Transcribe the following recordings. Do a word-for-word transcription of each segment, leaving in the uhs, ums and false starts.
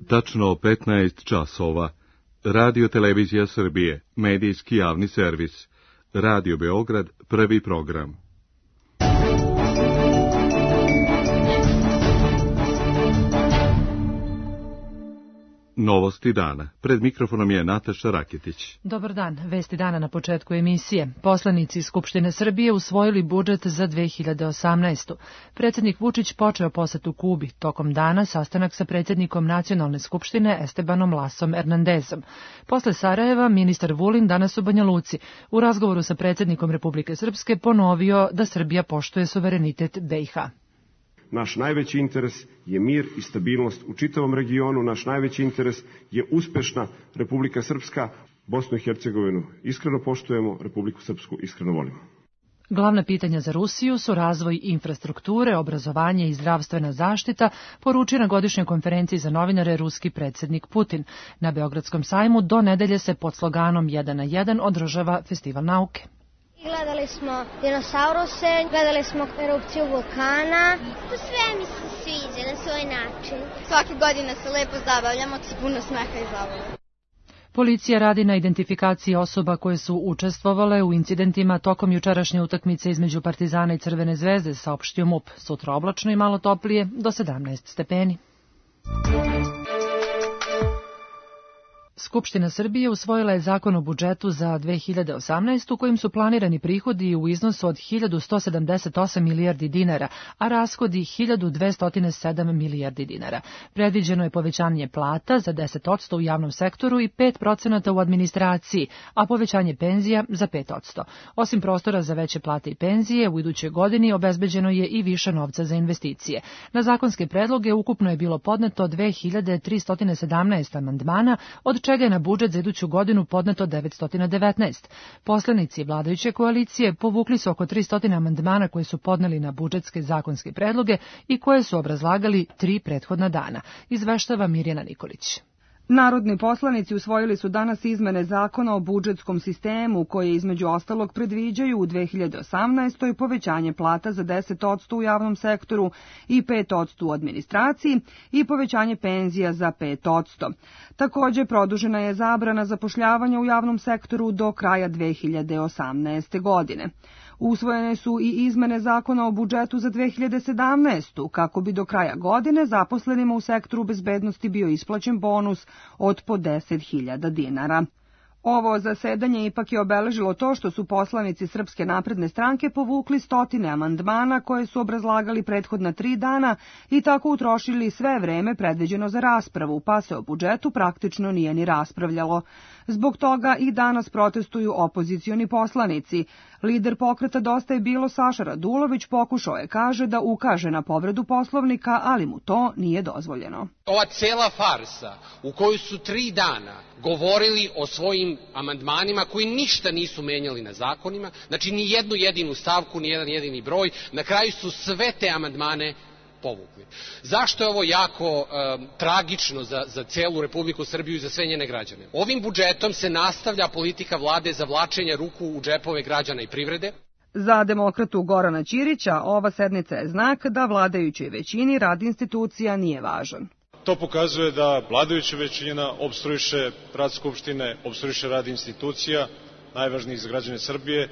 Tačno petnaest časova. Radio Televizija Srbije, medijski javni servis. Radio Beograd, prvi program. Novosti dana. Pred mikrofonom je Nataša Raketić. Dobar dan. Vesti dana na početku emisije. Poslanici Skupštine Srbije usvojili budžet za dve hiljade osamnaestu. Predsjednik Vučić počeo posetu Kubi. Tokom dana sastanak sa predsjednikom Nacionalne skupštine Estebanom Lasom Hernandezom. Posle Sarajeva, ministar Vulin danas u Banja Luci u razgovoru sa predsjednikom Republike Srpske ponovio da Srbija poštuje suverenitet B i H. Naš najveći interes je mir i stabilnost u čitavom regionu, naš najveći interes je uspešna Republika Srpska, Bosnu i Hercegovinu iskreno poštujemo, Republiku Srpsku iskreno volimo. Glavna pitanja za Rusiju su razvoj infrastrukture, obrazovanje i zdravstvena zaštita, poručio na godišnjoj konferenciji za novinare ruski predsjednik Putin. Na Beogradskom sajmu do nedelje se pod sloganom jedan na jedan održava festival nauke. Gledali smo dinosauruse, gledali smo erupciju vulkana. Sve mi se sviđa na svoj način. Svake godine se lepo zabavljamo, s puno smeha i zabave. Policija radi na identifikaciji osoba koje su učestvovale u incidentima tokom jučerašnje utakmice između Partizana i Crvene zvezde, saopštio MUP. Sutra oblačno i malo toplije, do sedamnaest stepeni. Skupština Srbije usvojila je zakon o budžetu za dve hiljade osamnaestu kojim su planirani prihodi u iznosu od hiljadu sto sedamdeset osam milijardi dinara, a rashodi hiljadu dvesta sedam milijardi dinara. Predviđeno je povećanje plata za deset posto u javnom sektoru i pet procenata u administraciji, a povećanje penzija za pet posto. Osim prostora za veće plate i penzije, u idućoj godini obezbeđeno je i više novca za investicije. Na zakonske predloge ukupno je bilo podneto dve hiljade tristo sedamnaest amandmana, od čega je na budžet za iduću godinu podneto devetsto devetnaest. Poslanici vladajuće koalicije povukli su oko tristo amandmana koje su podneli na budžetske zakonske predloge i koje su obrazlagali tri prethodna dana. Izveštava Mirjana Nikolić. Narodni poslanici usvojili su danas izmene zakona o budžetskom sistemu koje između ostalog predviđaju u dve hiljade osamnaestoj povećanje plata za deset posto u javnom sektoru i pet posto u administraciji i povećanje penzija za pet posto. Također produžena je zabrana zapošljavanja u javnom sektoru do kraja dve hiljade osamnaeste. godine. Usvojene su i izmene zakona o budžetu za dve hiljade sedamnaestu. kako bi do kraja godine zaposlenima u sektoru bezbednosti bio isplaćen bonus od po deset hiljada dinara. Ovo zasedanje ipak je obeležilo to što su poslanici Srpske napredne stranke povukli stotine amandmana koje su obrazlagali prethodna tri dana i tako utrošili sve vreme predviđeno za raspravu, pa se o budžetu praktično nije ni raspravljalo. Zbog toga i danas protestuju opozicioni poslanici. Lider pokreta Dosta je bilo Saša Radulović pokušao je, kaže, da ukaže na povredu Poslovnika, ali mu to nije dozvoljeno. Ova cela farsa u kojoj su tri dana govorili o svojim amandmanima koji ništa nisu menjali na zakonima, znači ni jednu jedinu stavku, ni jedan jedini broj, na kraju su sve te amandmane povukli. Zašto je ovo jako e, tragično za, za celu Republiku Srbiju i za sve njene građane? Ovim budžetom se nastavlja politika vlade zavlačenja ruku u džepove građana i privrede. Za demokratu Gorana Ćirića ova sednica je znak da vladajućoj većini rad institucija nije važan. To pokazuje da vladajuća većina opstruiše rad Skupštine, opstruiše rad institucija, najvažnijih za građane Srbije.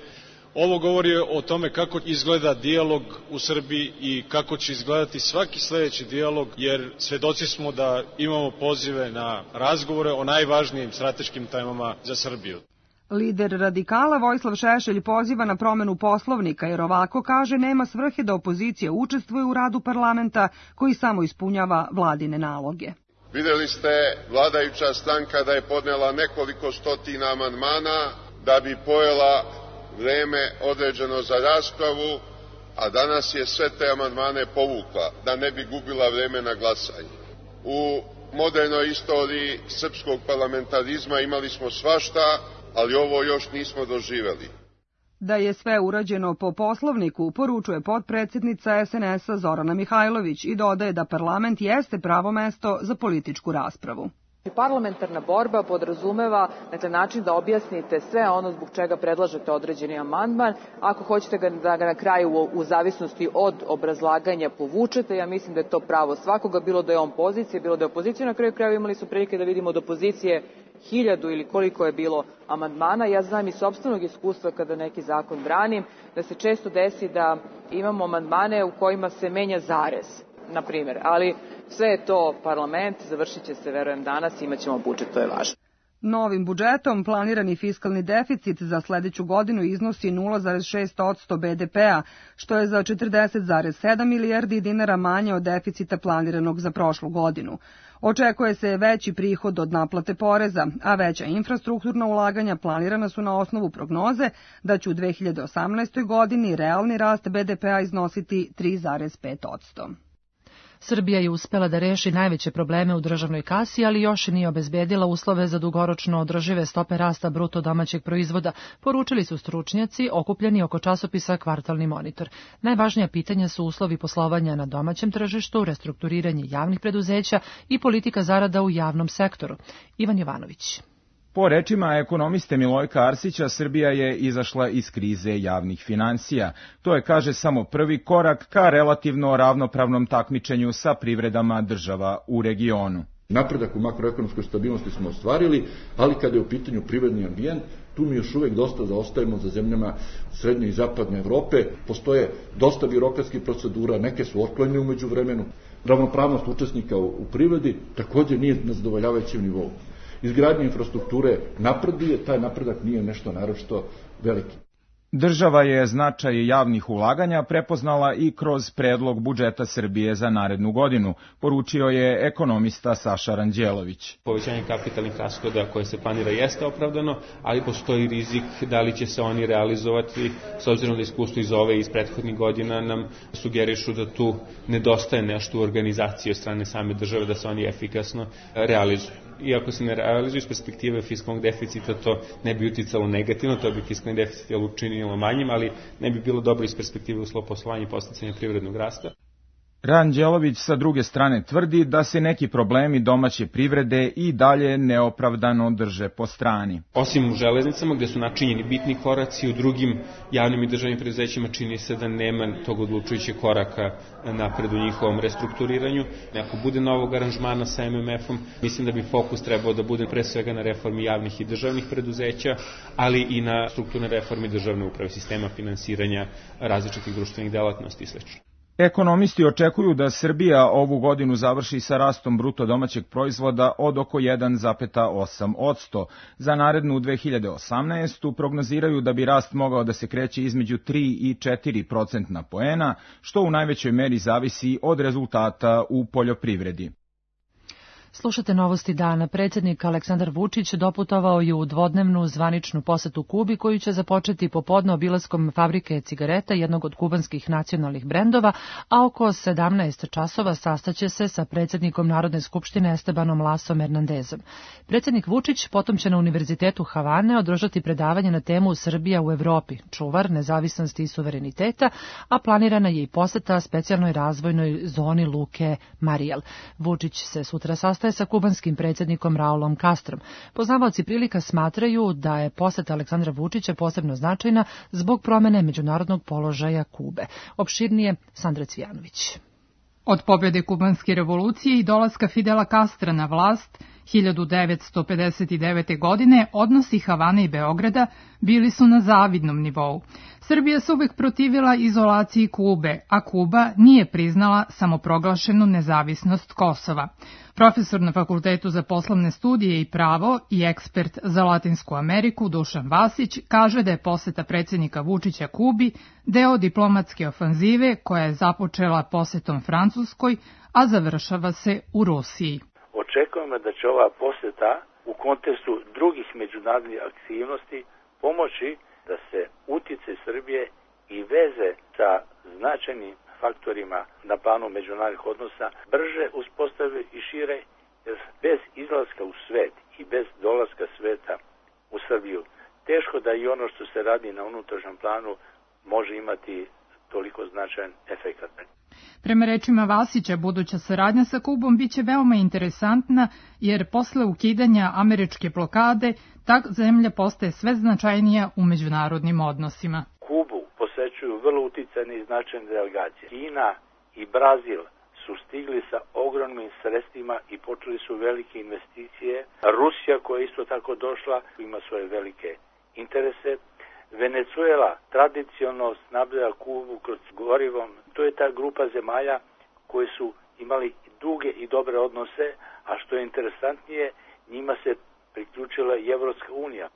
Ovo govori o tome kako izgleda dijalog u Srbiji i kako će izgledati svaki sledeći dijalog, jer svedoci smo da imamo pozive na razgovore o najvažnijim strateškim temama za Srbiju. Lider radikala Vojislav Šešelj poziva na promenu Poslovnika jer ovako, kaže, nema svrhe da opozicija učestvuje u radu parlamenta koji samo ispunjava vladine naloge. Videli ste vladajuća stranka da je podnela nekoliko stotina amandmana da bi pojela vreme određeno za raspravu, a danas je sve te amandmane povukla da ne bi gubila vreme na glasanje. U modernoj istoriji srpskog parlamentarizma imali smo svašta, ali ovo još nismo doživeli. Da je sve urađeno po Poslovniku, poručuje potpredsjednica es en es a Zorana Mihajlović i dodaje da parlament jeste pravo mesto za političku raspravu. Parlamentarna borba podrazumeva, dakle, način da objasnite sve ono zbog čega predlažete određeni amandman. Ako hoćete ga, da ga na kraju u, u zavisnosti od obrazlaganja povučete, ja mislim da je to pravo svakoga, bilo da je on pozicija, bilo da je opozicija. Na kraju kraju imali su prilike da vidimo od opozicije hiljadu ili koliko je bilo amandmana. Ja znam iz sopstvenog iskustva kada neki zakon branim, da se često desi da imamo amandmane u kojima se menja zarez, na primjer, ali sve je to parlament, završit će se, verujem, danas, imat ćemo budžet, to je važno. Novim budžetom planirani fiskalni deficit za sledeću godinu iznosi nula zarez šest posto be de pe-a, što je za četrdeset zarez sedam milijardi dinara manje od deficita planiranog za prošlu godinu. Očekuje se veći prihod od naplate poreza, a veća infrastrukturna ulaganja planirana su na osnovu prognoze da će u dve hiljade osamnaestoj. godini realni rast be de pe-a iznositi tri zarez pet posto. Srbija je uspela da reši najveće probleme u državnoj kasi, ali još nije obezbedila uslove za dugoročno održive stope rasta bruto domaćeg proizvoda, poručili su stručnjaci okupljeni oko časopisa Kvartalni monitor. Najvažnija pitanja su uslovi poslovanja na domaćem tržištu, restrukturiranje javnih preduzeća i politika zarada u javnom sektoru. Ivan Jovanović. Po rečima ekonomiste Milojka Arsića, Srbija je izašla iz krize javnih finansija. To je, kaže, samo prvi korak ka relativno ravnopravnom takmičenju sa privredama država u regionu. Napredak u makroekonomskoj stabilnosti smo ostvarili, ali kada je u pitanju privredni ambijent, tu mi još uvek dosta zaostajemo za zemljama srednje i zapadne Evrope. Postoje dosta birokratskih procedura, neke su otklonjene u međuvremenu. Ravnopravnost učesnika u privredi također nije na zadovoljavajućem nivou. Izgradnja infrastrukture napreduje, taj napredak nije nešto naročito veliki. Država je značaj javnih ulaganja prepoznala i kroz predlog budžeta Srbije za narednu godinu, poručio je ekonomista Saša Ranđelović. Povećanje kapitalnih rashoda koje se planira jeste opravdano, ali postoji rizik da li će se oni realizovati, s obzirom da iskustvo iz ove i iz prethodnih godina nam sugerišu da tu nedostaje nešto u organizaciji od strane same države da se oni efikasno realizuju. Iako se ne realizuju iz perspektive fiskalnog deficita, to ne bi uticalo negativno, to bi fiskalni deficit učinilo manjim, ali ne bi bilo dobro iz perspektive uslova poslovanja i podsticanja privrednog rasta. Ranđelović sa druge strane tvrdi da se neki problemi domaće privrede i dalje neopravdano drže po strani. Osim u železnicama, gde su načinjeni bitni koraci, u drugim javnim i državnim preduzećima čini se da nema tog odlučujućeg koraka napred u njihovom restrukturiranju. Ako bude novog aranžmana sa em em efom, mislim da bi fokus trebao da bude pre svega na reformi javnih i državnih preduzeća, ali i na strukturne reformi državne uprave, sistema finansiranja različitih društvenih delatnosti i sl. Ekonomisti očekuju da Srbija ovu godinu završi sa rastom bruto domaćeg proizvoda od oko jedan zarez osam posto. Za narednu dve hiljade osamnaestu. prognoziraju da bi rast mogao da se kreće između tri i četiri procentna poena, što u najvećoj meri zavisi od rezultata u poljoprivredi. Slušate novosti dana. Predsjednik Aleksandar Vučić doputovao je u dvodnevnu zvaničnu posetu Kubi, koju će započeti popodne obilaskom fabrike cigareta, jednog od kubanskih nacionalnih brendova, a oko sedamnaest časova sastaće se sa predsjednikom Narodne skupštine Estebanom Lasom Hernandezom. Predsjednik Vučić potom će na Univerzitetu Havane održati predavanje na temu Srbija u Evropi, čuvar nezavisnosti i suvereniteta, a planirana je i poseta specijalnoj razvojnoj zoni luke Marijel. Vučić se sutra sastaje sa kubanskim predsjednikom Raulom Castrom. Poznavaoci prilika smatraju da je poseta Aleksandra Vučića posebno značajna zbog promene međunarodnog položaja Kube. Opširnije Sandra Cvijanović. Od pobjede kubanske revolucije i dolaska Fidela Castra na vlast hiljadu devetsto pedeset devete. godine odnosi Havane i Beograda bili su na zavidnom nivou. Srbija se uvek protivila izolaciji Kube, a Kuba nije priznala samoproglašenu nezavisnost Kosova. Profesor na Fakultetu za poslovne studije i pravo i ekspert za Latinsku Ameriku Dušan Vasić kaže da je poseta predsjednika Vučića Kubi deo diplomatske ofanzive koja je započela posetom Francuskoj, a završava se u Rusiji. Očekujemo da će ova poseta u kontekstu drugih međunarodnih aktivnosti pomoći da se uticaj Srbije i veze sa značajnim faktorima na planu međunarodnih odnosa brže uspostave i šire, jer bez izlaska u svet i bez dolaska sveta u Srbiju teško da i ono što se radi na unutrašnjem planu može imati toliko značajan efekat. Prema rečima Vasića, buduća saradnja sa Kubom biće veoma interesantna, jer posle ukidanja američke blokade, ta zemlja postaje sve značajnija u međunarodnim odnosima. Kubu posećuju vrlo uticajne i značajne delegacije. Kina i Brazil su stigli sa ogromnim sredstvima i počeli su velike investicije. Rusija, koja je isto tako došla, ima svoje velike interese. Venezuela tradicionalno snabdeva Kubu kroz gorivom. To je ta grupa zemalja koje su imali duge i dobre odnose, a što je interesantnije, njima se priključila i Evropska unija.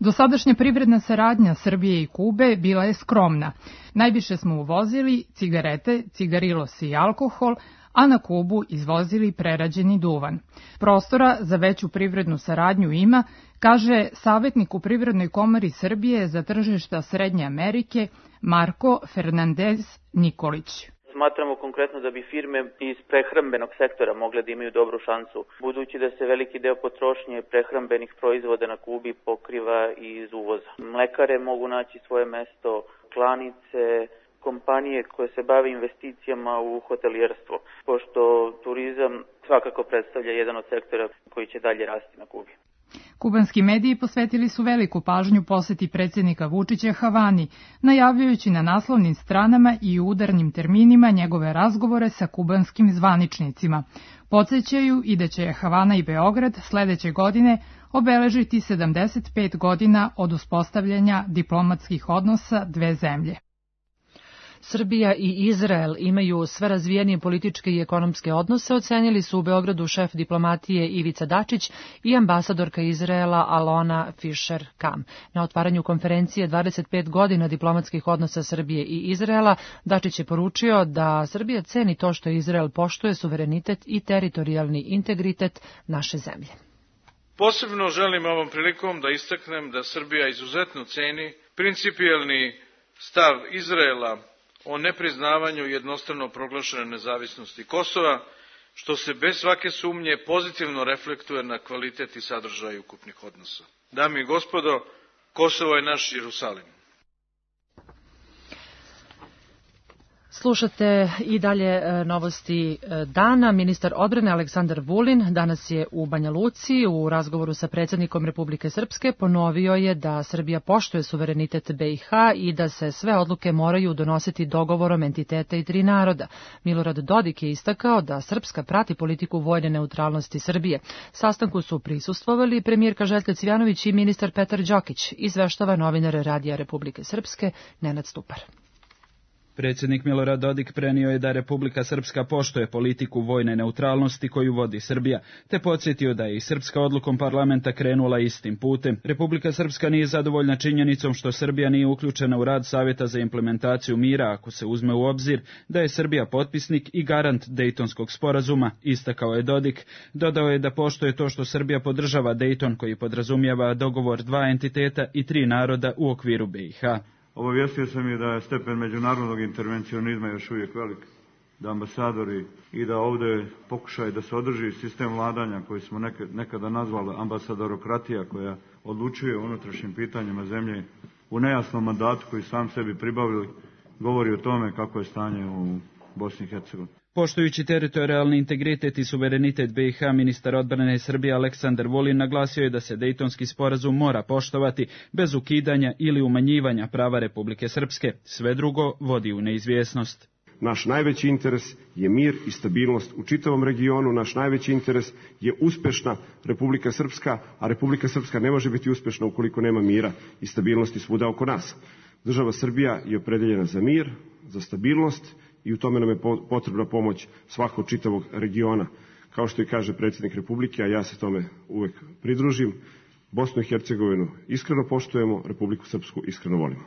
Dosadašnja privredna saradnja Srbije i Kube bila je skromna. Najviše smo uvozili cigarete, cigarilos i alkohol, a na Kubu izvozili prerađeni duvan. Prostora za veću privrednu saradnju ima, kaže savjetnik u Privrednoj komori Srbije za tržišta Srednje Amerike Marko Fernandez Nikolić. Smatramo konkretno da bi firme iz prehrambenog sektora mogle da imaju dobru šansu, budući da se veliki deo potrošnje prehrambenih proizvoda na Kubi pokriva iz uvoza. Mlekare mogu naći svoje mesto, klanice, kompanije koje se bave investicijama u hotelijerstvo, pošto turizam svakako predstavlja jedan od sektora koji će dalje rasti na Kubi. Kubanski mediji posvetili su veliku pažnju poseti predsjednika Vučića Havani, najavljujući na naslovnim stranama i u udarnim terminima njegove razgovore sa kubanskim zvaničnicima. Podsjećaju i da će Havana i Beograd sledeće godine obeležiti sedamdeset pet godina od uspostavljanja diplomatskih odnosa dve zemlje. Srbija i Izrael imaju sve razvijenije političke i ekonomske odnose, ocenili su u Beogradu šef diplomatije Ivica Dačić i ambasadorka Izraela Alona Fischer-Kam. Na otvaranju konferencije dvadeset pet godina diplomatskih odnosa Srbije i Izraela, Dačić je poručio da Srbija ceni to što Izrael poštuje suverenitet i teritorijalni integritet naše zemlje. Posebno želim ovom prilikom da istaknem da Srbija izuzetno ceni principijelni stav Izraela o nepriznavanju jednostrano proglašene nezavisnosti Kosova, što se bez svake sumnje pozitivno reflektuje na kvalitet i sadržaj ukupnih odnosa. Dame i gospodo, Kosovo je naš Jerusalim. Slušate i dalje novosti dana. Ministar odbrane Aleksandar Vulin danas je u Banja Luci u razgovoru sa predsjednikom Republike Srpske ponovio je da Srbija poštuje suverenitet B i H i da se sve odluke moraju donositi dogovorom entiteta i tri naroda. Milorad Dodik je istakao da Srpska prati politiku vojne neutralnosti Srbije. Sastanku su prisustvovali premijerka Željka Cvjanović i ministar Petar Đokić, izveštava novinar Radija Republike Srpske Nenad Stupar. Predsjednik Milorad Dodik prenio je da Republika Srpska poštuje politiku vojne neutralnosti koju vodi Srbija, te podsjetio da je i Srpska odlukom parlamenta krenula istim putem. Republika Srpska nije zadovoljna činjenicom što Srbija nije uključena u rad Savjeta za implementaciju mira, ako se uzme u obzir da je Srbija potpisnik i garant Dejtonskog sporazuma, istakao je Dodik. Dodao je da poštuje to što Srbija podržava Dejton koji podrazumijeva dogovor dva entiteta i tri naroda u okviru B i H. Obavijestio sam je da je stepen međunarodnog intervencionizma još uvijek velik, da ambasadori i da ovdje pokušaju da se održi sistem vladanja koji smo nekada nazvali ambasadorokratija, koja odlučuje o unutrašnjim pitanjima zemlje u nejasnom mandatu koji sam sebi pribavili, govori o tome kako je stanje u Bosni i Hercegovini. Poštujući teritorijalni integritet i suverenitet B i H, ministar odbrane Srbije Aleksandar Vulin naglasio je da se Dejtonski sporazum mora poštovati bez ukidanja ili umanjivanja prava Republike Srpske. Sve drugo vodi u neizvjesnost. Naš najveći interes je mir i stabilnost u čitavom regionu, naš najveći interes je uspešna Republika Srpska, a Republika Srpska ne može biti uspešna ukoliko nema mira i stabilnosti svuda oko nas. Država Srbija je opredeljena za mir, za stabilnost i u tome nam je potrebna pomoć svakog čitavog regiona. Kao što i kaže predsjednik Republike, a ja se tome uvek pridružim, Bosnu i Hercegovinu iskreno poštujemo, Republiku Srpsku iskreno volimo.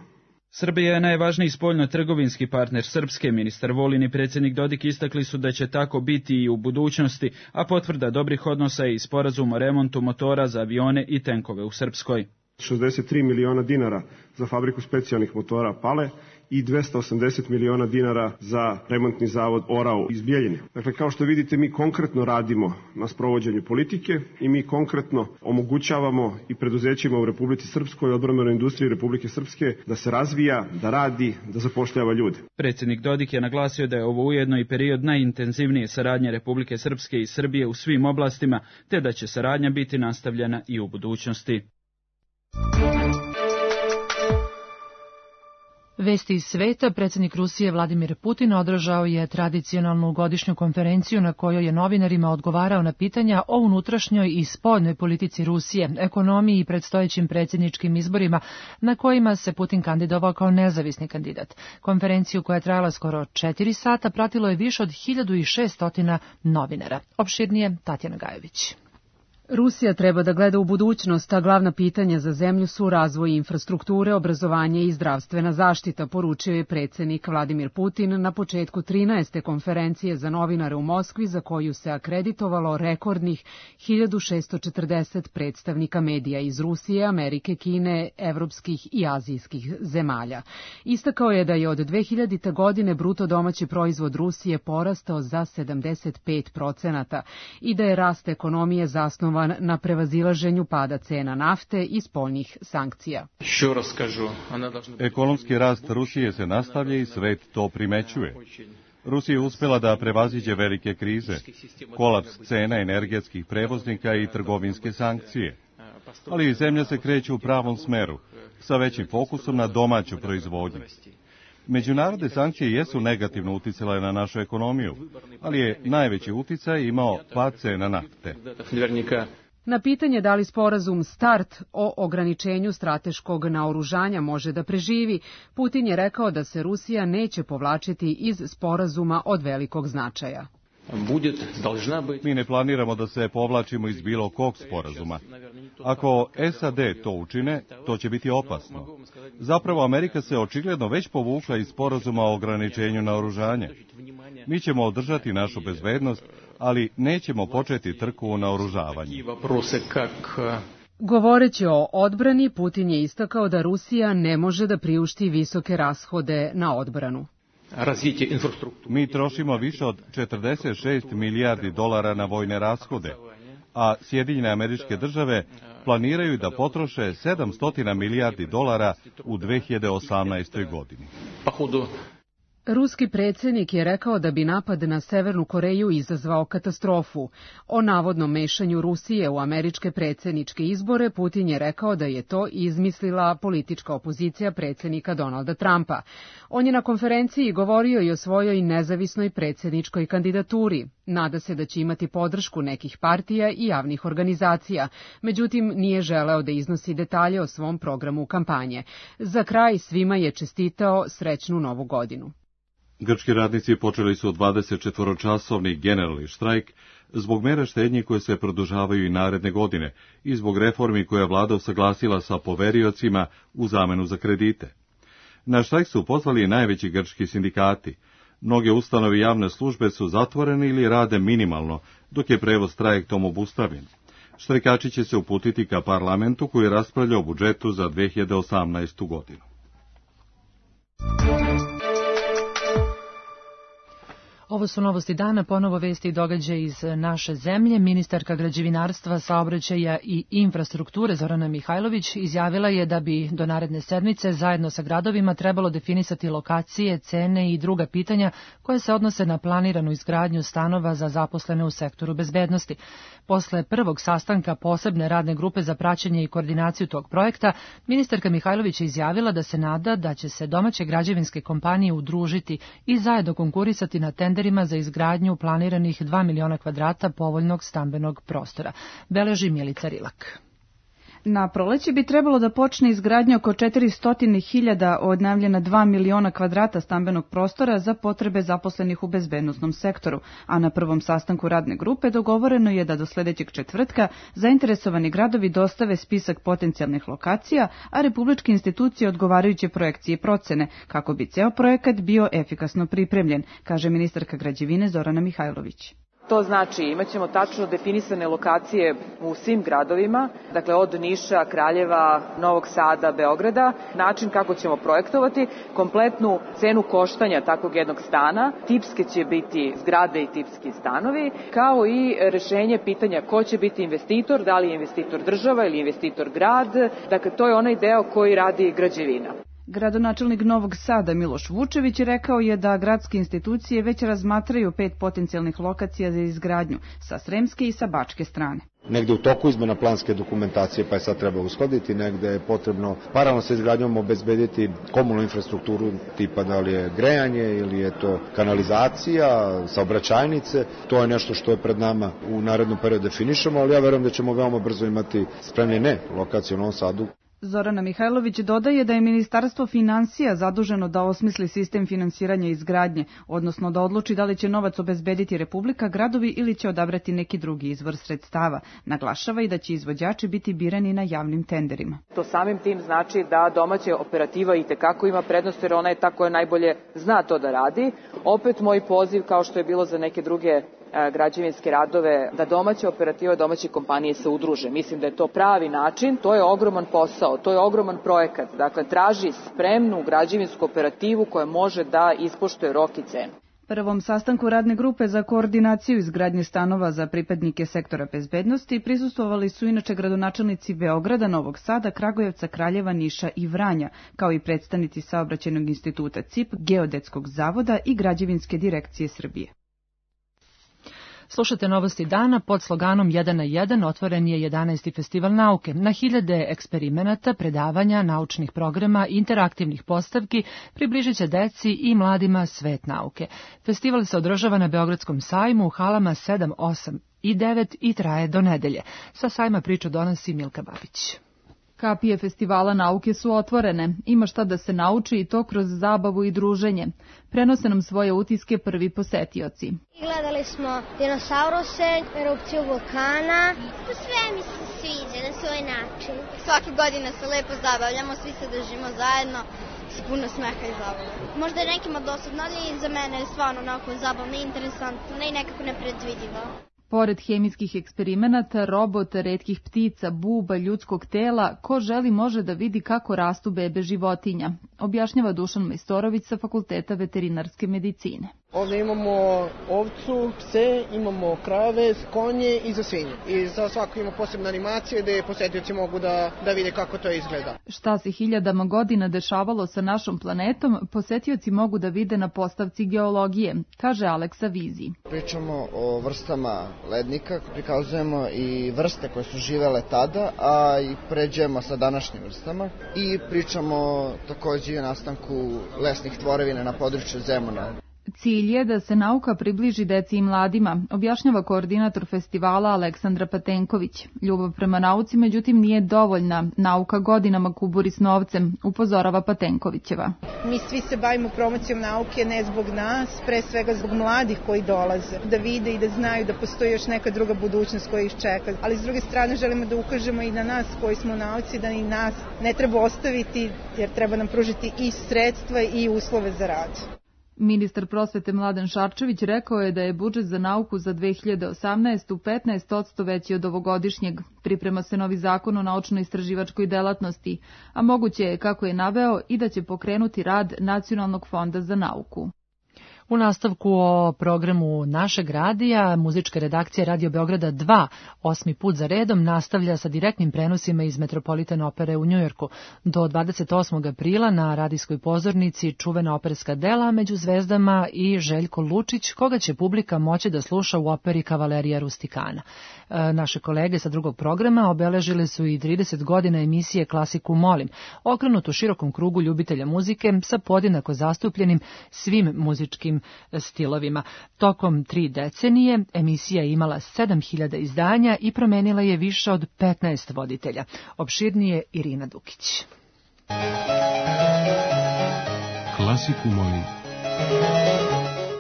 Srbija je najvažniji spoljno-trgovinski partner Srpske. Ministar Vulin i predsjednik Dodik istakli su da će tako biti i u budućnosti, a potvrda dobrih odnosa je i sporazum o remontu motora za avione i tenkove u Srpskoj. šezdeset tri miliona dinara za fabriku specijalnih motora Pale i dvesta osamdeset miliona dinara za remontni zavod Orao iz Bjeljine. Dakle, kao što vidite, mi konkretno radimo na sprovođenju politike i mi konkretno omogućavamo i preduzećima u Republici Srpskoj i odbrambenoj industriji Republike Srpske da se razvija, da radi, da zapošljava ljude. Predsjednik Dodik je naglasio da je ovo ujedno i period najintenzivnije saradnje Republike Srpske i Srbije u svim oblastima, te da će saradnja biti nastavljena i u budućnosti. Vesti iz sveta. Predsjednik Rusije Vladimir Putin održao je tradicionalnu godišnju konferenciju na kojoj je novinarima odgovarao na pitanja o unutrašnjoj i spoljnoj politici Rusije, ekonomiji i predstojećim predsjedničkim izborima na kojima se Putin kandidovao kao nezavisni kandidat. Konferenciju koja je trajala skoro četiri sata pratilo je više od hiljadu šesto novinara. Opširnije Tatjana Gajević. Rusija treba da gleda u budućnost, a glavna pitanja za zemlju su razvoj infrastrukture, obrazovanje i zdravstvena zaštita, poručio je predsjednik Vladimir Putin na početku trinaeste konferencije za novinare u Moskvi, za koju se akreditovalo rekordnih hiljadu šesto četrdeset predstavnika medija iz Rusije, Amerike, Kine, evropskih i azijskih zemalja. Istakao je da je od dve hiljadite. godine bruto domaći proizvod Rusije porastao za sedamdeset pet procenata i da je rast ekonomije zasnovan na prevazilaženju pada cena nafte i spoljnih sankcija. Ekonomski rast Rusije se nastavlja i svet to primećuje. Rusija je uspjela da prevaziđe velike krize, kolaps cena energetskih prevoznika i trgovinske sankcije. Ali i zemlja se kreće u pravom smeru, sa većim fokusom na domaću proizvodnju. Međunarodne sankcije jesu negativno uticale na našu ekonomiju, ali je najveći uticaj imao pad cena nafte. Na pitanje da li sporazum START o ograničenju strateškog naoružanja može da preživi, Putin je rekao da se Rusija neće povlačiti iz sporazuma od velikog značaja. Mi ne planiramo da se povlačimo iz bilo kog sporazuma. Ako S A D to učine, to će biti opasno. Zapravo, Amerika se očigledno već povukla iz sporazuma o ograničenju naoružanja. Mi ćemo održati našu bezbednost, ali nećemo početi trku u naoružavanju. Govoreći o odbrani, Putin je istakao da Rusija ne može da priušti visoke rashode na odbranu. Mi trošimo više od četrdeset šest milijardi dolara na vojne rashode, a Sjedinjene Američke Države planiraju da potroše sedamsto milijardi dolara u dve hiljade osamnaestoj. godini. Ruski predsjednik je rekao da bi napad na Severnu Koreju izazvao katastrofu. O navodnom mešanju Rusije u američke predsjedničke izbore Putin je rekao da je to izmislila politička opozicija predsjednika Donalda Trumpa. On je na konferenciji govorio i o svojoj nezavisnoj predsjedničkoj kandidaturi. Nada se da će imati podršku nekih partija i javnih organizacija, međutim nije želeo da iznosi detalje o svom programu kampanje. Za kraj svima je čestitao srećnu novu godinu. Grčki radnici počeli su dvadesetčetvoročasovni generalni štrajk zbog mera štednje koje se produžavaju i naredne godine i zbog reformi koje je vlada usaglasila sa poveriocima u zamenu za kredite. Na štrajk su pozvali najveći grčki sindikati. Mnoge ustanove i javne službe su zatvorene ili rade minimalno, dok je prevoz trajektom obustavljen. Štrajkači će se uputiti ka parlamentu koji raspravlja o budžetu za dve hiljade osamnaestu. godinu. Ovo su novosti dana, ponovo vesti i događaje iz naše zemlje. Ministarka građevinarstva, saobraćaja i infrastrukture Zorana Mihajlović izjavila je da bi do naredne sedmice zajedno sa gradovima trebalo definisati lokacije, cene i druga pitanja koje se odnose na planiranu izgradnju stanova za zaposlene u sektoru bezbednosti. Posle prvog sastanka posebne radne grupe za praćenje i koordinaciju tog projekta, ministarka Mihajlović je izjavila da se nada da će se domaće građevinske kompanije udružiti i zajedno konkurisati na tenderima za izgradnju planiranih dva miliona kvadrata povoljnog stambenog prostora. Beleži Milica Rilak. Na proleće bi trebalo da počne izgradnja oko četiristo hiljada od najavljena dva miliona kvadrata stambenog prostora za potrebe zaposlenih u bezbednosnom sektoru, a na prvom sastanku radne grupe dogovoreno je da do sledećeg četvrtka zainteresovani gradovi dostave spisak potencijalnih lokacija, a republičke institucije odgovarajuće projekcije i procene, kako bi ceo projekat bio efikasno pripremljen, kaže ministarka građevine Zorana Mihajlović. To znači imaćemo tačno definisane lokacije u svim gradovima, dakle od Niša, Kraljeva, Novog Sada, Beograda, način kako ćemo projektovati, kompletnu cenu koštanja takvog jednog stana, tipske će biti zgrade i tipski stanovi, kao i rešenje pitanja ko će biti investitor, da li je investitor država ili investitor grad, dakle to je onaj deo koji radi građevina. Gradonačelnik Novog Sada Miloš Vučević rekao je da gradske institucije već razmatraju pet potencijalnih lokacija za izgradnju sa sremske i sa bačke strane. Negde u toku izmena planske dokumentacije, pa je sad treba uskladiti, negde je potrebno paralelno sa izgradnjom obezbediti komunalnu infrastrukturu tipa da li je grejanje ili je to kanalizacija, saobraćajnice. To je nešto što je pred nama u narednom periodu definišemo, ali ja verujem da ćemo veoma brzo imati spremljene lokacije u Novom Sadu. Zorana Mihajlović dodaje da je Ministarstvo finansija zaduženo da osmisli sistem finansiranja izgradnje, odnosno da odluči da li će novac obezbediti Republika, gradovi ili će odabrati neki drugi izvor sredstava. Naglašava i da će izvođači biti birani na javnim tenderima. To samim tim znači da domaća operativa i tekako ima prednost jer ona je ta koja najbolje zna to da radi. Opet moj poziv, kao što je bilo za neke druge građevinske radove, da domaća operativa, domaće kompanije se udruže. Mislim da je to pravi način, to je ogroman posao, to je ogroman projekat. Dakle, traži spremnu građevinsku operativu koja može da ispoštuje rok i cenu. Prvom sastanku radne grupe za koordinaciju izgradnje stanova za pripadnike sektora bezbednosti prisustvovali su inače gradonačelnici Beograda, Novog Sada, Kragujevca, Kraljeva, Niša i Vranja, kao i predstavnici Saobraćajnog instituta C I P, Geodetskog zavoda i Građevinske direkcije Srbije. Slušate Novosti dana, pod sloganom jedan na jedan otvoren je jedanaesti festival nauke. Na hiljade eksperimenata, predavanja, naučnih programa, interaktivnih postavki približit će deci i mladima svet nauke. Festival se održava na Beogradskom sajmu u halama sedam, osam i devet i traje do nedelje. Sa sajma priču donosi Milka Babić. Kapije festivala nauke su otvorene, ima šta da se nauči i to kroz zabavu i druženje. Prenose nam svoje utiske prvi posetioci. Gledali smo dinosauruse, erupciju vulkana, sve mi se sviđa na svoj način. Svake godine se lepo zabavljamo, svi se držimo zajedno, s puno smeha i zabavlja. Možda je nekima dosadno, ali za mene je stvarno onako zabavno i interesantno i nekako nepredvidivo. Pored hemijskih eksperimenata, robota, retkih ptica, buba, ljudskog tela, ko želi može da vidi kako rastu bebe životinja, objašnjava Dušan Majstorović sa Fakulteta veterinarske medicine. Ovdje imamo ovcu, pse, imamo krave, konje i za svinje. I za svako ima posebna animacija gde posetioci mogu da, da vide kako to izgleda. Šta se hiljadama godina dešavalo sa našom planetom, posetioci mogu da vide na postavci geologije, kaže Aleksa Vizi. Pričamo o vrstama lednika, prikazujemo i vrste koje su živele tada, a i pređemo sa današnjim vrstama. I pričamo takođe i o nastanku lesnih tvorevina na području Zemuna. Cilj je da se nauka približi deci i mladima, objašnjava koordinator festivala Aleksandra Patenković. Ljubav prema nauci, međutim, nije dovoljna. Nauka godinama kuburi s novcem, upozorava Patenkovićeva. Mi svi se bavimo promocijom nauke ne zbog nas, pre svega zbog mladih koji dolaze, da vide i da znaju da postoji još neka druga budućnost koja ih čeka. Ali s druge strane želimo da ukažemo i na nas koji smo u nauci, da i nas ne treba ostaviti jer treba nam pružiti i sredstva i uslove za rad. Ministar prosvete Mladen Šarčević rekao je da je budžet za nauku za dve hiljade osamnaestu. petnaest posto veći od ovogodišnjeg. Priprema se novi zakon o naučno-istraživačkoj delatnosti, a moguće je, kako je naveo, i da će pokrenuti rad Nacionalnog fonda za nauku. U nastavku o programu našeg radija, muzička redakcija Radio Beograda dva, osmi put za redom, nastavlja sa direktnim prenosima iz Metropolitan opere u Njujorku. Do dvadeset osmog aprila na radijskoj pozornici čuvena operska dela Među zvezdama i Željko Lučić, koga će publika moći da sluša u operi Kavalerija Rustikana. E, naše kolege sa drugog programa obeležile su i trideset godina emisije Klasiku molim, okrenutu širokom krugu ljubitelja muzike sa podjednako zastupljenim svim muzičkim stilovima. Tokom tri decenije emisija je imala sedam hiljada izdanja i promenila je više od petnaest voditelja. Opširnije Irina Dukić. Klasiku molim.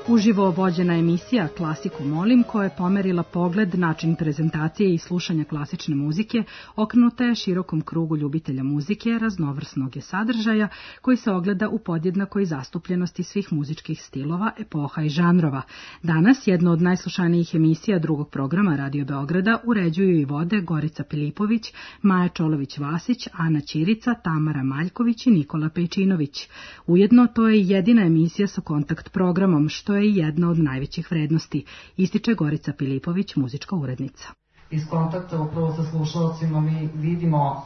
Uživo vođena emisija Klasiku molim, koja je pomerila pogled, način prezentacije i slušanja klasične muzike, okrenuta je širokom krugu ljubitelja muzike, raznovrsnog je sadržaja, koji se ogleda u podjednakoj zastupljenosti svih muzičkih stilova, epoha i žanrova. Danas jedno od najslušanijih emisija drugog programa Radio Beograda uređuju i vode Gorica Pilipović, Maja Čolović-Vasić, Ana Ćirica, Tamara Maljković i Nikola Pejčinović. Ujedno, to je jedina emisija sa kontakt programom, što je jedna od najvećih vrednosti, ističe Gorica Pilipović, muzička urednica. Iz kontakta upravo sa slušalcima mi vidimo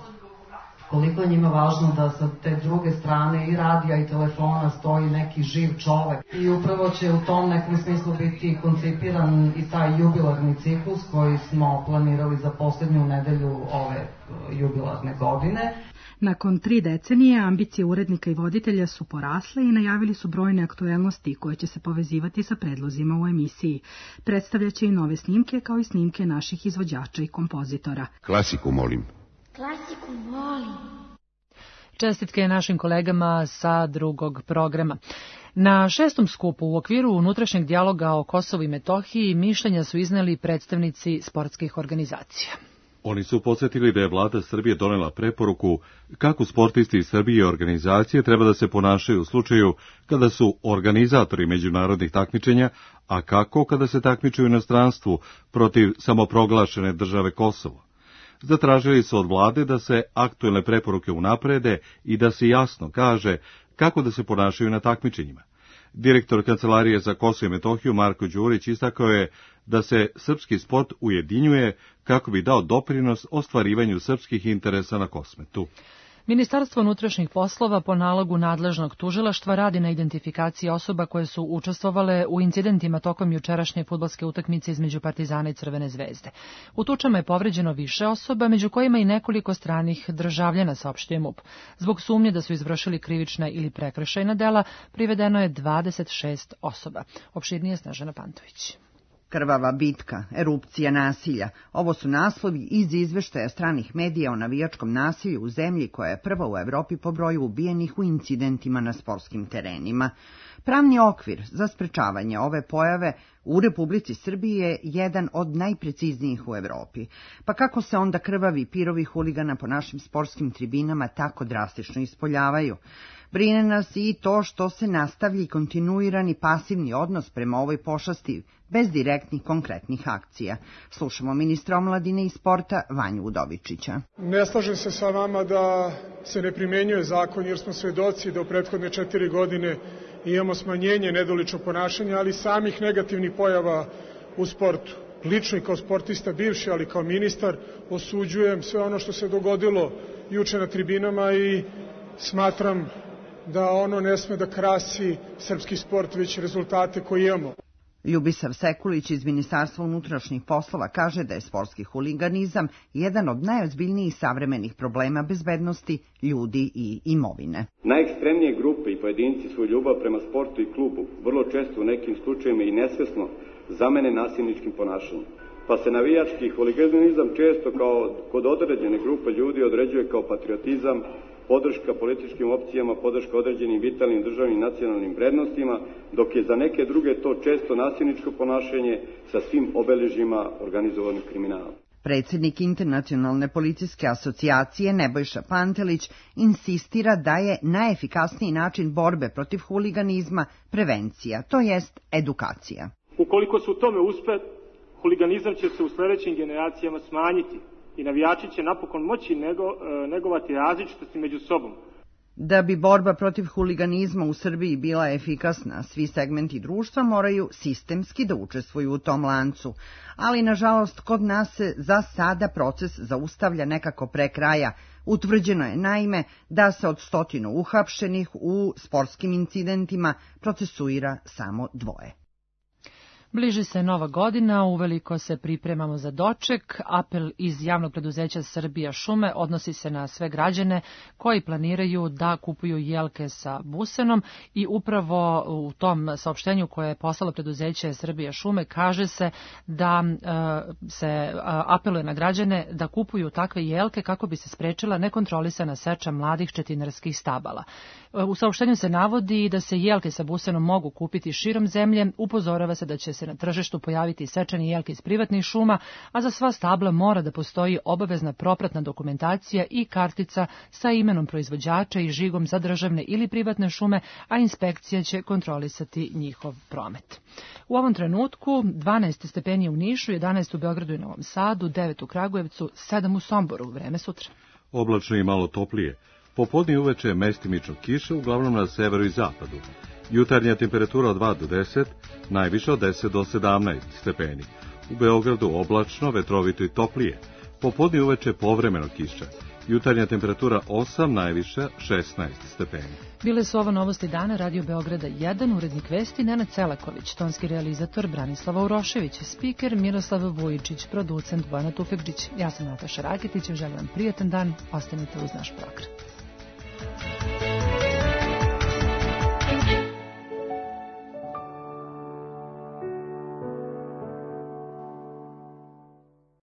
koliko je njima važno da sa te druge strane i radija i telefona stoji neki živ čovek. I upravo će u tom nekom smislu biti koncipiran i taj jubilarni ciklus koji smo planirali za posljednju nedelju ove jubilarne godine. Nakon tri decenije ambicije urednika i voditelja su porasle i najavili su brojne aktuelnosti koje će se povezivati sa predlozima u emisiji. Predstavljaće i nove snimke kao i snimke naših izvođača i kompozitora. Klasiku molim. Klasiku molim. Čestitke našim kolegama sa drugog programa. Na šestom skupu u okviru unutrašnjeg dijaloga o Kosovu i Metohiji mišljenja su izneli predstavnici sportskih organizacija. Oni su podsjetili da je vlada Srbije donela preporuku kako sportisti iz Srbije i organizacije treba da se ponašaju u slučaju kada su organizatori međunarodnih takmičenja, a kako kada se takmiče u inostranstvu protiv samoproglašene države Kosovo. Zatražili su od vlade da se aktuelne preporuke unaprede i da se jasno kaže kako da se ponašaju na takmičenjima. Direktor Kancelarije za Kosovo i Metohiju Marko Đurić istakao je da se srpski sport ujedinjuje kako bi dao doprinos ostvarivanju srpskih interesa na Kosmetu. Ministarstvo unutrašnjih poslova po nalogu nadležnog tužilaštva radi na identifikaciji osoba koje su učestvovale u incidentima tokom jučerašnje fudbalske utakmice između Partizana i Crvene zvezde. U tučama je povređeno više osoba, među kojima i nekoliko stranih državljana, saopštio MUP. Zbog sumnje da su izvršili krivična ili prekršajna dela, privedeno je dvadeset šest osoba. Opširnije Snežana Pantović. Krvava bitka, erupcija nasilja. Ovo su naslovi iz izveštaja stranih medija o navijačkom nasilju u zemlji koja je prva u Evropi po broju ubijenih u incidentima na sportskim terenima. Pravni okvir za sprečavanje ove pojave u Republici Srbiji je jedan od najpreciznijih u Evropi. Pa kako se onda krvavi pirovi huligana po našim sportskim tribinama tako drastično ispoljavaju? Brine nas i to što se nastavlja i kontinuirani pasivni odnos prema ovoj pošasti bez direktnih konkretnih akcija. Slušamo ministra omladine i sporta Vanju Udovičića. Ne slažem se sa vama da se ne primenjuje zakon jer smo svedoci da u prethodne četiri godine imamo smanjenje nedoličnog ponašanja, ali samih negativnih pojava u sportu. Lično i kao sportista bivši, ali kao ministar osuđujem sve ono što se dogodilo juče na tribinama i smatram da ono ne sme da krasi srpski sport, već rezultate koje imamo. Ljubisav Sekulić iz Ministarstva unutrašnjih poslova kaže da je sportski huliganizam jedan od najozbiljnijih savremenih problema bezbednosti ljudi i imovine. Najekstremnije grupe i pojedinci svoju ljubav prema sportu i klubu vrlo često u nekim slučajevima i nesvesno zamene nasilničkim ponašanjem. Pa se navijački huliganizam često kao kod određene grupe ljudi određuje kao patriotizam, podrška političkim opcijama, podrška određenim vitalnim državnim nacionalnim vrednostima, dok je za neke druge to često nasilničko ponašanje sa svim obeležjima organizovanog kriminala. Predsjednik Internacionalne policijske asocijacije Nebojša Pantelić insistira da je najefikasniji način borbe protiv huliganizma prevencija, to jest edukacija. Ukoliko se u tome uspe, huliganizam će se u sljedećim generacijama smanjiti i navijači će napokon moći nego, negovati različitosti među sobom. Da bi borba protiv huliganizma u Srbiji bila efikasna, svi segmenti društva moraju sistemski da učestvuju u tom lancu, ali nažalost kod nas se za sada proces zaustavlja nekako pre kraja. Utvrđeno je naime da se od stotinu uhapšenih u sportskim incidentima procesuira samo dvoje. Bliži se nova godina, uveliko se pripremamo za doček. Apel iz javnog preduzeća Srbija šume odnosi se na sve građane koji planiraju da kupuju jelke sa busenom i upravo u tom saopštenju koje je poslalo preduzeće Srbija šume kaže se da e, se apeluje na građane da kupuju takve jelke kako bi se sprečila nekontrolisana seča mladih četinarskih stabala. U saopštenju se navodi da se jelke sa busenom mogu kupiti širom zemlje, upozorava se da će se na tržištu pojaviti sečeni jelke iz privatnih šuma, a za sva stabla mora da postoji obavezna propratna dokumentacija i kartica sa imenom proizvođača i žigom za državne ili privatne šume, a inspekcija će kontrolisati njihov promet. U ovom trenutku dvanaest stepeni u Nišu, jedanaest u Beogradu i Novom Sadu, devet u Kragujevcu, sedam u Somboru. Vreme sutra. Oblačno i malo toplije. Popodne i uveče mestimično kiše, uglavnom na severu i zapadu. Jutarnja temperatura od dva do deset, najviše od deset do sedamnaest stepeni. U Beogradu oblačno, vetrovito i toplije. Popodne i uveče povremeno kiša. Jutarnja temperatura osam, najviše šesnaest stepeni. Bile su ovo novosti dana Radio Beograda jedan, urednik vesti Nenad Celaković, tonski realizator Branislava Urošević, spiker Miroslav Vujičić, producent Bojana Tufekđić. Ja sam Nataša Raketić, želim vam prijatan dan, ostanite uz naš program.